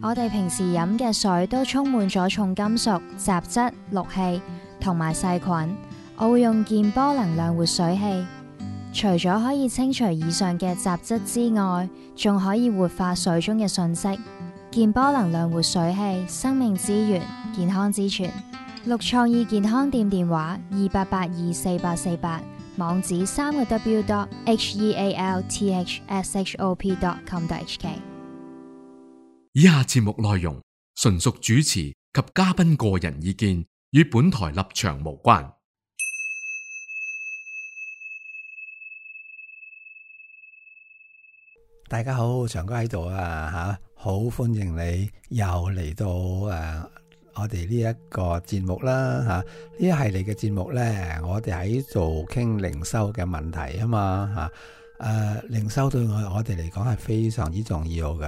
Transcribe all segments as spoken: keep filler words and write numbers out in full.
我哋平時飲嘅水都充滿咗重金屬、雜質、氯氣同埋細菌。我會用健波能量活水器，除咗可以清除以上嘅雜質之外，仲可以活化水中嘅訊息。健波能量活水器，生命之源，健康之泉。綠創意健康店電話二八八二四八四八，網址三個 w dot h e a l t h s h o p dot com dot h k。以下節目內容純屬主持及嘉賓個人意見，與本台立場無關。大家好，長哥喺度啊吓，好歡迎你又嚟到誒、啊、我哋呢一個節目啦吓，呢、啊、一系列嘅節目咧，我哋喺度傾靈修嘅問題啊嘛吓，誒、啊、靈修對我我哋嚟講係非常之重要噶，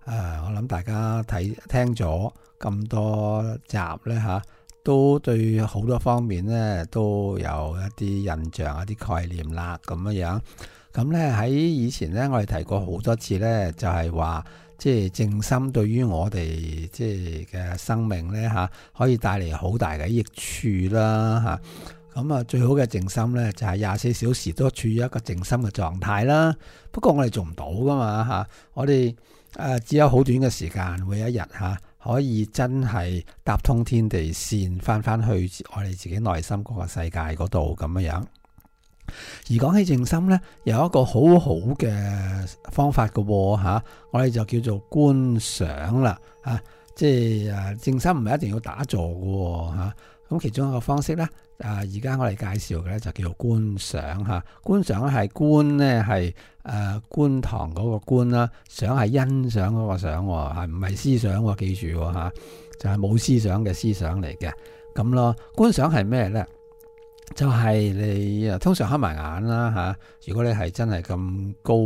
誒、啊、我諗大家睇聽咗咁多集咧吓、啊，都對好多方面咧都有一啲印象、一啲概念啦咁樣樣。咁咧喺以前咧，我哋提過好多次咧，就係話即係靜心對於我哋即係嘅生命咧嚇，可以帶嚟好大嘅益處啦嚇。咁啊，最好嘅靜心咧就係廿四小時都處於一個靜心嘅狀態啦。不過我哋做唔到噶嘛嚇，我哋誒只有好短嘅時間，每一日嚇可以真係搭通天地線，翻翻去我哋自己內心嗰個世界嗰度咁樣樣。而講起靜心咧，有一個好好嘅方法嘅喎嚇，我哋就叫做觀想啦嚇，即係誒靜心唔係一定要打坐嘅喎嚇。咁其中一個方式咧，啊而家我哋介紹嘅咧就叫做觀想嚇。觀想係觀咧係誒觀堂嗰個觀啦，想係欣賞嗰個想喎，係唔係思想喎？記住喎嚇，就係冇思想嘅思想嚟嘅咁咯。觀想係咩咧？就係你啊，通常黑埋眼啦嚇。如果你係真係咁高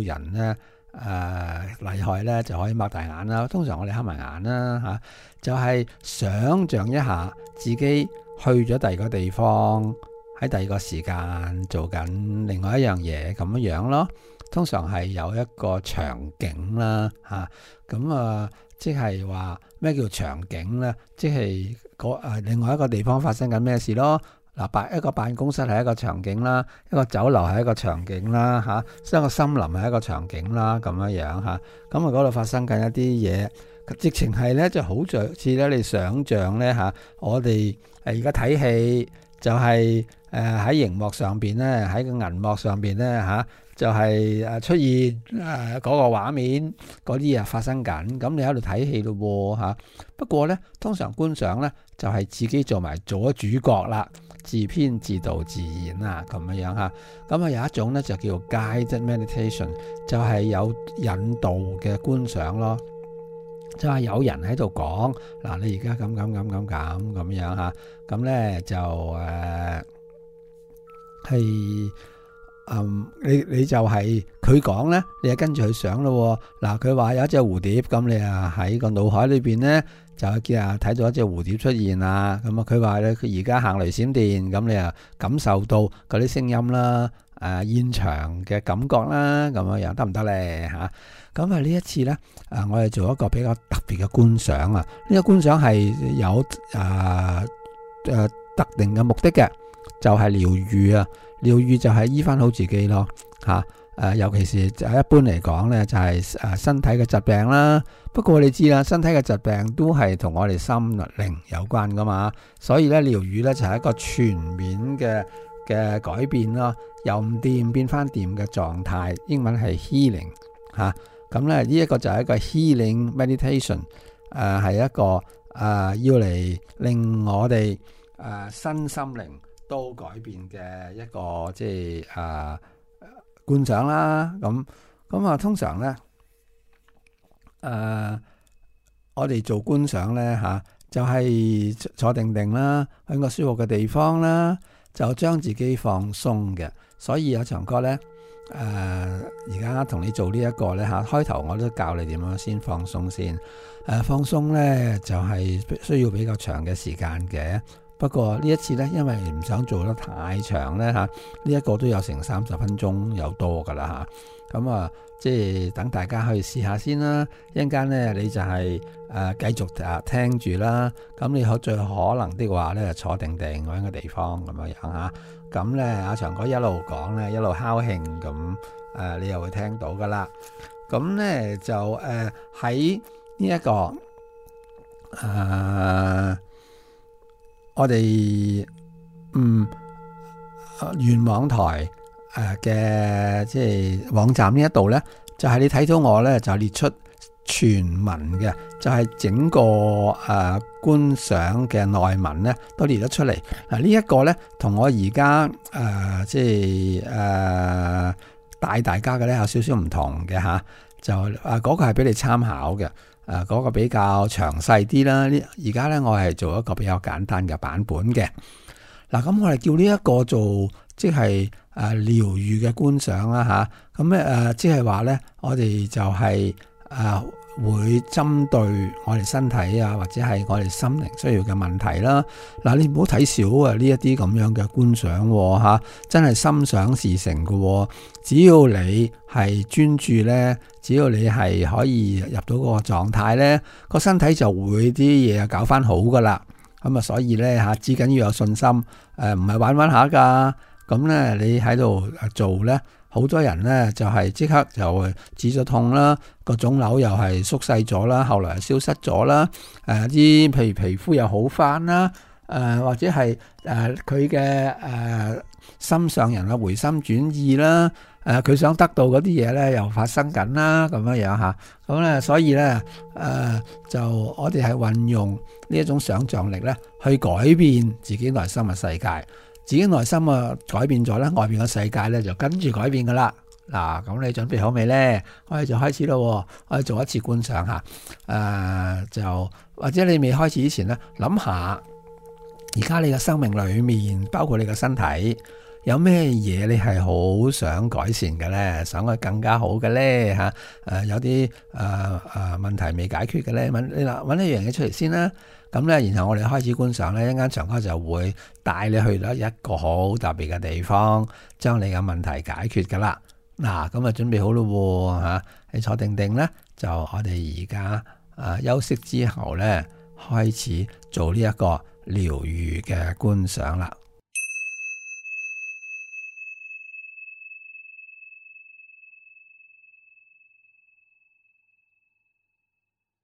人咧，誒、呃、厲害咧，就可以擘大眼啦。通常我哋黑埋眼啦嚇，就係、是、想像一下自己去咗第二個地方，喺第二個時間做緊另外一樣嘢咁樣樣咯。通常係有一個場景啦嚇，咁啊，即係話咩叫場景咧？即係嗰誒另外一個地方發生緊咩事咯。嗱，辦一個辦公室係一個場景啦，一個酒樓係一個場景啦，嚇、啊，一個森林係一個場景啦，咁樣樣嚇。咁啊嗰度發生緊一啲嘢，直情係咧就好似咧你想像咧嚇，我哋誒而家睇戲就係誒喺熒幕上邊咧，喺個銀幕上邊咧嚇，就係、是、誒出現誒嗰個畫面嗰啲啊發生緊，咁你喺度睇戲咯喎嚇。不過咧，通常觀想咧就係、是、自己做埋做咗主角啦。自編自導自演啊，咁樣樣嚇。咁啊有一種咧就叫做 guided meditation，就係有引導嘅觀想咯。就係有人喺度講嗱，你而家咁咁咁咁咁咁樣嚇。咁咧就誒係嗯，你你就係佢講咧，你就跟住去想咯。嗱，佢話有一隻蝴蝶，咁你啊喺個腦海裏邊咧。就見啊睇到一隻蝴蝶出現啦，咁啊佢話咧佢而家行雷閃電，咁你啊感受到嗰啲聲音啦，誒、呃、現場嘅感覺啦，咁樣樣得唔得咧嚇？咁啊呢一次咧，啊我哋做一個比較特別嘅觀想啊，呢、這個觀想係有誒誒、呃呃、特定嘅目的嘅，就係、是、療愈啊，療愈就係醫翻好自己咯嚇。誒、呃，尤其是一般嚟講咧，就係、是、誒身體嘅疾病啦。不過你知啦，身體嘅疾病都係同我哋心靈有關噶嘛。所以咧，療愈咧就係、是、一個全面嘅嘅改變咯，由唔掂變翻掂嘅狀態。英文係 healing 嚇。咁咧呢一個就係一個 healing meditation。誒、呃、係一個誒、呃、要嚟令我哋誒、呃、身心靈都改變嘅一個即係誒。呃觀想啦，咁咁啊，通常咧，誒、呃，我哋做觀想咧嚇、啊，就係、是、坐定定啦，喺個舒服嘅地方啦，就將自己放鬆嘅。所以有場歌咧，誒而家同你做呢一個咧嚇，開頭我都教你點樣先放鬆先。誒、啊、放鬆咧就係、是、需要比較長嘅時間嘅。不過呢一次呢，因為唔想做得太長呢，嚇，呢一個都有成三十分鐘有多噶啦嚇。咁啊，即係等大家去試下先啦。一陣間呢，你就係誒繼續啊聽住啦。咁你可最可能的話呢，坐定定揾個地方咁樣樣嚇。咁呢，阿長哥一路講呢，一路敲磬咁誒，你又會聽到噶啦。咁呢，就誒喺呢一個誒、呃，我哋嗯願網台誒嘅即係網站呢一度呢，就係、是、你睇到我呢，就列出全文嘅，就係、是、整個誒、呃、觀賞嘅內文呢都列咗出嚟。嗱呢一個呢，同我而家誒即係誒帶大家嘅呢有少少唔同嘅吓。就啊嗰、那個係俾你參考嘅，誒、啊、嗰、那個比較詳細啲啦。呢而家咧我係做一個比較簡單嘅版本嘅。嗱、啊、咁我哋叫呢一個做即係誒療愈嘅觀賞啦吓。咁咧誒即係話咧，我哋就係、是、誒、啊、會針對我哋身體啊，或者係我哋心靈需要嘅問題啦。嗱、啊、你唔好睇少啊呢一啲咁樣嘅觀賞吓，真係心想事成嘅、啊。只要你係專注咧，只要你係可以入到嗰個狀態咧，個身體就會啲嘢啊搞翻好噶啦。咁啊，所以咧吓，至緊要有信心。誒，唔係玩玩下噶。咁咧，你喺度做咧，好多人咧就係即刻就止咗痛啦，個腫瘤又係縮細咗啦，後來消失咗啦。誒，啲譬如皮膚又好翻啦。誒，或者係誒佢嘅誒心上人啊回心轉意啦。誒佢、呃、想得到嗰啲嘢咧，又發生緊啦，咁樣樣嚇。咁咧，所以咧，誒、呃、就我哋係運用呢一種想像力咧，去改變自己內心嘅世界。自己內心啊改變咗咧，外邊嘅世界咧就跟住改變噶啦。嗱，咁你準備好未咧？我哋就開始咯。我哋做一次觀賞嚇。誒、呃、就或者你未開始之前咧，諗下而家你嘅生命裡面，包括你嘅身體。有咩嘢你係好想改善嘅咧？想佢更加好嘅咧嚇？誒有啲誒誒問題未解決嘅咧，揾你嗱揾一樣嘢出嚟先啦。咁咧，然後我哋開始觀賞咧，一間長哥就會帶你去咗一個好特別嘅地方，將你嘅問題解決噶啦。嗱，咁啊準備好咯嚇，你坐定定咧，就我哋而家誒休息之後咧，開始做呢一個療愈嘅觀賞啦。